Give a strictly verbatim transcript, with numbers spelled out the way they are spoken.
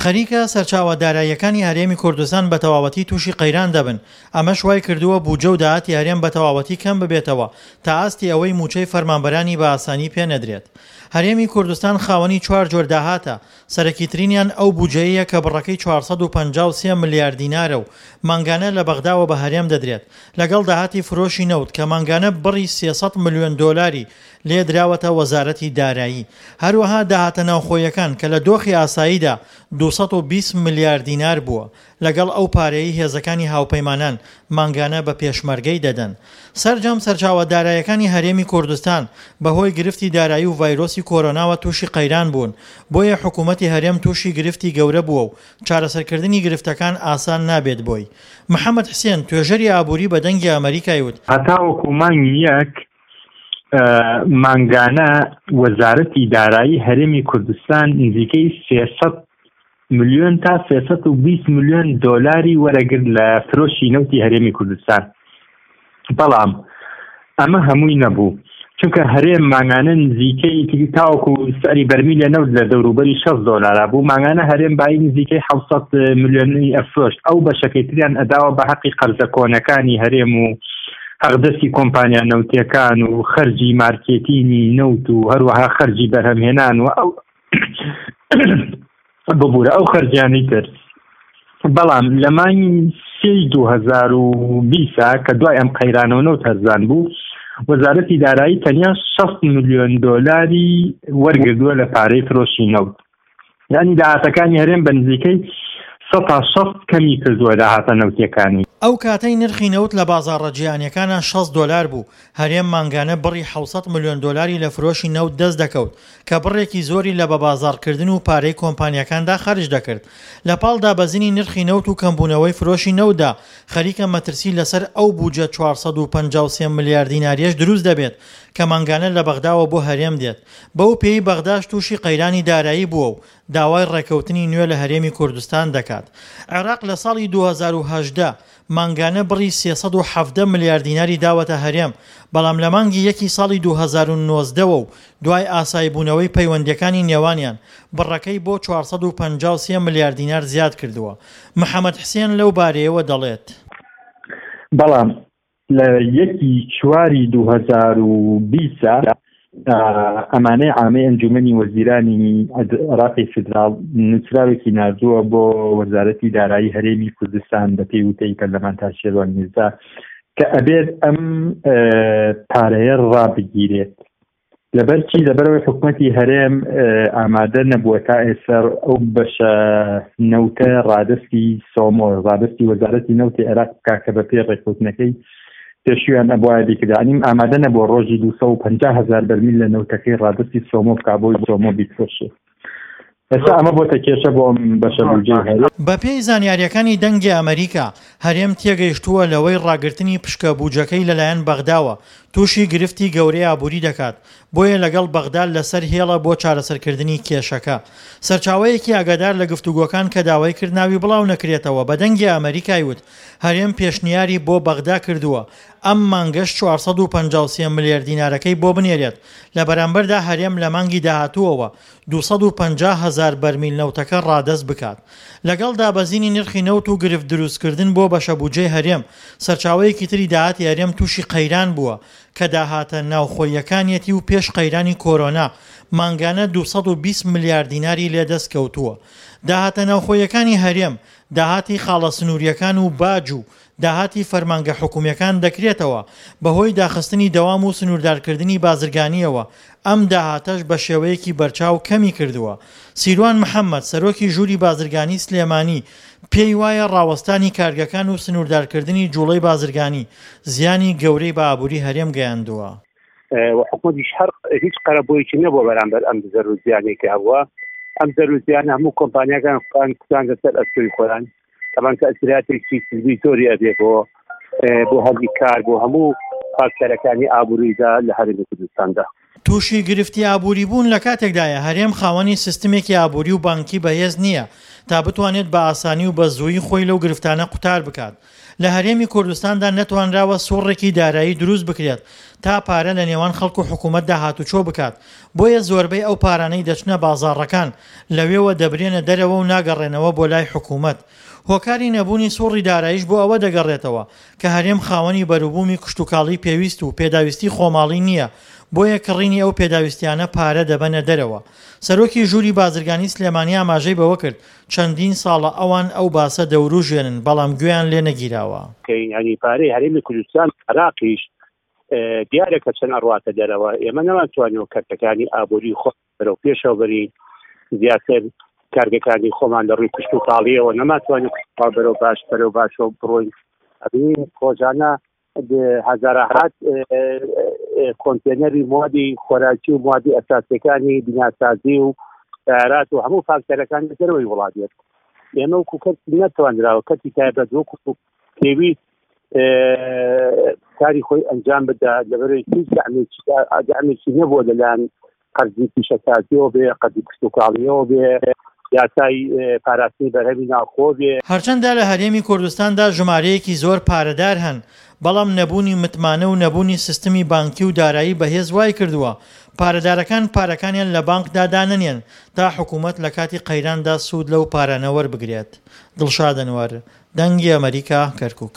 خەریکە سەرچاوە داراییەکانی هەرێمی کوردستان بە تەواوەتی تووشی قەیران دەبن، ئەمەش وای کردووە بودجە و داهاتی هەرێم بە تەواوەتی کەم ببێتەوە تا ئاستی ئەوەی مووچەی فەرمانبەرانی بە ئاسانی پێ نەدرێت. هەرێمی کوردستان خاوەنی چوار جۆر داهاتە، سەرەکیترینیان ئەو بودجەیەیە کە بڕەکەی چوار سەد و پەنجا و سێ ملیار دینارە و مانگانە لە بەغداوە بە هەرێم دەدرێت، لەگەڵ داهاتی فرۆشی نەوت کە مانگانە بڕی سێ سەد ملیۆن دۆلاری لێ دراوەتە وەزارەتی دارایی. هەروەها داهاتە ناوخۆیەکان کە لە دۆخی ئاساییدا دوو سەد و بیست ملیار دینار بووە، لەگەڵ ئەو پارەیەی هێزەکانی هاوپەیمانان مانگانە بە پێشمەرگەی دەدەن. سەرجەم سەرچاوە دارایەکانی هەرێمی کوردستان بەهۆی گرفتی دارایی و ڤایرۆسی کۆرۆناوە تووشی قەیران بوون، بۆیە حکوومەتی هەرێم تووشی گرفتی گەورە بووە و چارەسەرکردنی گرفتەکان ئاسان نابێت بۆی. محەمەد حسێن، توێژەری ئابووری بە دەنگی ئەمەریکای وت، هەتاوەکو مانگی یەک مانگانە وەزارەتی دارایی هەرێمی کوردستان نزیکەی سێ سەد ملیۆن تا سێ سەد و بیست ملیۆن دۆلاری وەرەگرت لە فرۆشی نەوتی هەرێمی کوردستان. بەڵام ئەمە هەمووی نەبوو، چونکە هەرێم مانگانە نزیکەی تاوەکو سعری بەرمیل لە نەوت لە دەوروبەری شەست دۆلارا بوو، مانگانە هەرێم بایی نزیکەی حەوت سەد ملیۆنی ئەفرۆشت. ئەو بەشەکەی تریان ئەداوە بە حەقی قەرزە کۆنەکانی هەرێم و حەقدەستی کۆمپانیا نەوتیەکان و خەرجی مارکێتینی نەوت و هەروەها خەرجی بەرهەمهێنان و ئەو ببوورە ئەو خەرجیانەی تر. بەڵام لە مانگی سێی دوو هەزار و بیست کە دوای ئەم قەیرانەوە نەوت هەرزان بوو، وەزارەتی دارایی تەنیا شەست ملیۆن دۆلاری وەرگردووە لە پارەی فرۆشی نەوت. یعنی داهاتەکانی هەرێم بە نزیکەی سەد تا شەست کەمی کردووە داهاتە نەوتیەکانی. ئەو کاتەی نرخی نەوت لە بازاڕە جیهانیەکانە شەست دۆلار بوو، هەرێم مانگانە بڕی حەوت سەد ملیۆن دۆلاری لە فرۆشی نەوت دەست دەکەوت کە بڕێکی زۆری لە بەبازاڕکردن و پارەی کۆمپانیاکاندا خەرج دەکرد. لە پاڵ دابەزینی نرخی نەوت و کەمبوونەوەی فرۆشی نەوتدا خەریکە مەترسی لەسەر ئەو بودجە چوار سەد و پەنجا و سێ ملیار دیناریەش دروست دەبێت کە مانگانە لە بەغداوە بۆ هەرێم دێت، بەو پێی بەغداش تووشی قەیرانی دارایی بووە و داوای ڕێکەوتنی نوێ لە هەرێمی کوردستان دەکات. عێراق لە ساڵی دوو هەزار و هەژدە مانگانە بڕی سێ سەد و حەڤدە ملیار دیناری داوەتە هەرێم، بەڵام لە مانگی یەکی ساڵی دوو هەزار و نۆزدەوە و دوای ئاساییبوونەوەی پەیوەندیەکانی نێوانیان بڕەکەی بۆ چوار سەد و پەنجا و سێ ملیار دینار زیاد کردووە. محەمەد حسێن لەو بارەیەوە دەڵێت، بەڵام لە یەکی چواری دوو هەزار و بیست ئەمانەی عامەی ئەنجومەنی وەزیرانی عێراقی فیدراڵ نووسراوێکی ناردووە بۆ وەزارەتی دارایی هەرێمی کوردستان بە پێی وتەی پەرلەمانتار شێروان میرزا کە ئەبێت ئەم پارەیە ڕابگیرێت. لەبەر چی؟ لەبەرەوەی حکوومەتی هەرێم ئامادە نەبووە تا ئێستا ئەو بەشە نەوتە ڕادستی سۆمۆ، ڕادستی وەزارەتی نەوتی عێراق بکا کە بە پێی ڕێککەوتنەکەی پێشویان ئەبوایە بیکردانیم، ئامادە نەبووە ڕۆژی دوو سەد و پەنجا هەزار بەرمیل لە نەوتەکەی ڕادستی سۆمۆ بکا بۆی سۆمۆ بیفرۆشێ. ئێستا ئەمە بۆتە کێشە بۆ ئەم بەشە بودجەی هەرێم. بەپێی زانیاریەکانی دەنگی ئەمریکا، هەرێم تێگەیشتووە لەوەی ڕاگرتنی پشکە بودجەکەی لەلایەن بەغداوە تووشی گرفتی گەورەی ئابووری دەکات، بۆیە لەگەڵ بەغدا لەسەر هێڵە بۆ چارەسەرکردنی کێشەکە. سەرچاوەیەکی ئاگادار لە گفتوگۆکان کە داوای کرد ناوی بڵاو نەکرێتەوە بە دەنگی ئەمریکای وت، هەرێم پێشنیاری بۆ بەغدا کردووە ئەم مانگەش چوار سەد و پەنجا و سێ ملیار دینارەکەی بۆ بنێرێت، لە بەرامبەردا هەرێم لە مانگی داهاتووەوە دوو سەد و پەنجا هەزار بەرمیل نەوتەکە ڕادەست بکات. لەگەڵ دابەزینی نرخی نەوت و گرفت دروستکردن بۆ بەشە بودجەی هەرێم، سەرچاوەیەکی تری داهاتی هەرێم تووشی قەیران بووە کە داهاتە ناوخۆیەکانیەتی و پێش قەیرانی کۆرۆنا مانگانە دوو سەد و بیست ملیار دیناری لێدەست کەوتووە. داهاتە ناوخۆیەکانی هەرێم، داهاتی خاڵە سنووریەکان و باج و داهاتی فەرمانگە حکومیەکان دەکرێتەوە بەهۆی داخستنی دەوام و سنووردارکردنی بازرگانیەوە، ئەم داهاتەش بە شێوەیەکی بەرچاو کەمی کردووە. سیروان محەممەد، سەرۆکی ژووری بازرگانی سلێمانی، پێی وایە ڕاوەستانی کارگەکان و سنووردارکردنی جوڵەی بازرگانی زیانی گەورەی بە ئابووری هەرێم گەیاندووە. و حکومەتیش هەر هیچ قەرەبوویەکی نەبووە بەرامبەر ئەم زەرر و زیانەی کە هەبووە. ئەم زەرر و زیانە هەموو کۆمپانیاکان خۆیان کوتاندە سەر ئەستۆی خۆیان. طبعاً تەئسیراتێکی سلبی زۆری ئەبێ بۆ بۆ هەلی کار، بۆ هەموو فاکتەرەکانی ئابووریدا لە هەرێمی کوردستاندا. تووشی گرفتی ئابووری بوون لە کاتێکدایە هەرێم خاوەنی سیستمێکی ئابووری و بانکی بەهێز نییە تا بتوانێت بە ئاسانی و بە زوویی خۆی لەو گرفتانە قوتار بکات. لە هەرێمی کوردستاندا نەتوانراوە سوڕێکی دارایی دروست بکرێت تا پارە لە نێوان خەڵک و حکوومەتدا هاتوچۆ بکات، بۆیە زۆربەی ئەو پارانەی دەچنە بازاڕەکان لەوێوە دەبرێنە دەرەوە و ناگەڕێنەوە بۆ لای حکوومەت. هۆکاری نەبوونی سوڕی داراییش بۆ ئەوە دەگەڕێتەوە کە هەرێم خاوەنی بەروبوومی کشتوکاڵی پێویست و پێداویستی خۆماڵی نییە، بۆیە کڕینی ئەو پێداویستیانە پارە دەبەنە دەرەوە. سەرۆکی ژووری بازرگانی سلێمانی ئاماژەی بەوە کرد، چەندین ساڵە ئەوان ئەو باسە دەوروژێنن، بەڵام گوێیان لێ نەگیراوە. یانی پارەی هەرێمی کوردستان عێراقیش دیارە کە چەند ئەڕواتە دەرەوە. ئێمە نەمانتوانیوە کەرتەکانی ئابووری خۆ بەرەو پێشەوە بەرین، زیاتر کارگەکانی خۆمان لە ڕووی کشتوکاڵیەوە نەمانتوانی بەرەو باش بەرەو باشەوە بڕۆین. ئەبین ڕۆژانە هەزارەهات کۆنتێنەری موادی خۆراکی و موادی ئەساسیەکانی بیناسازی و سیارات و هەموو فاکتەرەکان لە دەرەوەی وڵات دێت. ئێمە وەکو کەرتی نەتوانراوە کەرتی تایبەت وەکو پێویست کاری خۆی ئەنجام بدا، لەبەرەوەی هیچ دەعمێکی نەبووە لەلایەن قەرزی پیشەسازیەوە بێ، قەرزی کشتوکاڵیەوە بێ، یاسای پاراستنی بەرهەمی ناوخۆ بێ. هەرچەندە لە هەرێمی کوردستاندا ژمارەیەکی زۆر پارەدار هەن، بەڵام نەبوونی متمانە و نەبوونی سیستمی بانکی و دارایی بەهێز وای کردووە پارەدارەکان پارەکانیان لە بانکدا دانەنێن تا حکوومەت لە کاتی قەیراندا سوود لەو پارانە وەربگرێت. دڵشاد ئەنوەر، دەنگی ئەمەریکا، کەرکووک.